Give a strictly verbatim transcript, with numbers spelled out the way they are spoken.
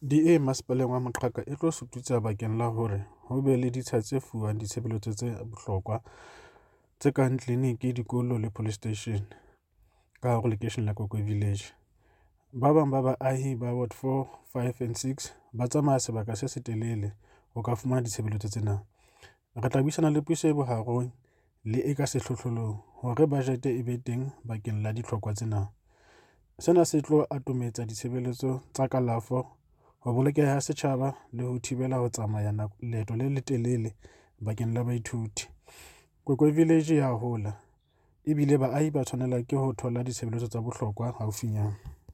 D A Masepaleng wa Moqhaka e tlo sututsa bakeng la hore ho be le ditsha tse fuwang ditshebeletso tse bohlokwa tse kang tleliniki, dikolo le police station ka hare ho lekeishene la Kwekwe Village. Ba bang ba baahi ba ward four, five and six ba tsamaya sebaka se setelele ho ka fumana ditshebeletso tsena. Re tla buisana le puso e bohareng le e ka sehlohlolong hore bajete e be teng bakeng la ditlhokwa tsena. Sena se tlo atometsa ditshebeletso tsa kalafo, ho bolokeha ha setjhaba le ho thibela ho tsamaya leeto le letelele bakeng la baithuti. Kwekwe Village ya hola ebile baahi ba tshwanela ke ho thola ditshebeletso tsa bohlokwa haufinyana.